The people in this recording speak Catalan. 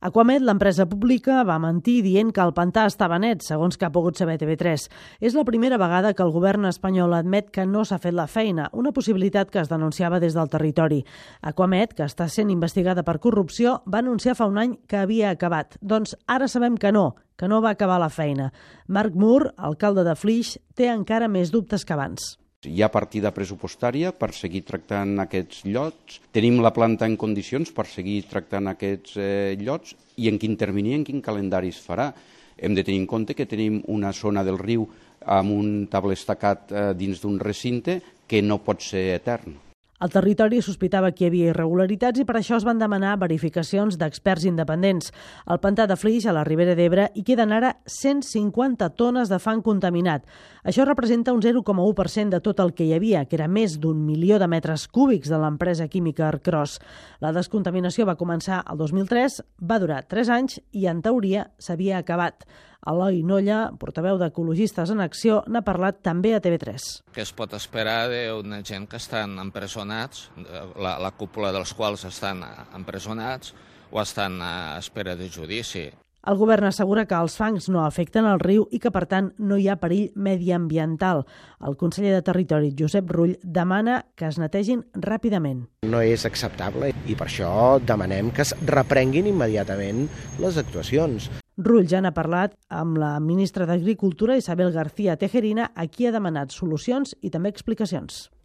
Aquamed, l'empresa pública, va mentir dient que el pantà estava net, segons que ha pogut saber TV3. És la primera vegada que el govern espanyol admet que no s'ha fet la feina, una possibilitat que es denunciava des del territori. Aquamed, que està sent investigada per corrupció, va anunciar fa un any que havia acabat. Doncs ara sabem que no va acabar la feina. Marc Mur, alcalde de Flix, té encara més dubtes que abans. Hi ha partida pressupostària per seguir tractant aquests llots. Tenim la planta en condicions per seguir tractant aquests llots i en quin termini, en quin calendari es farà. Hem de tenir en compte que tenim una zona del riu amb un tabler estacat dins d'un recinte que no pot ser etern. El territori sospitava que hi havia irregularitats i per això es van demanar verificacions d'experts independents. Al pantà de Flix, a la Ribera d'Ebre, hi queden ara 150 tones de fang contaminat. Això representa un 0,1% de tot el que hi havia, que era més d'1 milió de metres cúbics de l'empresa química Arcros. La descontaminació va començar el 2003, va durar 3 anys i, en teoria, s'havia acabat. Eloi Nolla, portaveu d'Ecologistes en Acció, n'ha parlat també a TV3. Què es pot esperar d'una gent que estan empresonats, la cúpula dels quals estan empresonats o estan a espera de judici? El govern assegura que els fangs no afecten el riu i que, per tant, no hi ha perill mediambiental. El conseller de Territori, Josep Rull, demana que es netegin ràpidament. No és acceptable i per això demanem que es reprenguin immediatament les actuacions. Rull ja n'ha parlat amb la ministra d'Agricultura, Isabel García Tejerina, a qui ha demanat solucions i també explicacions.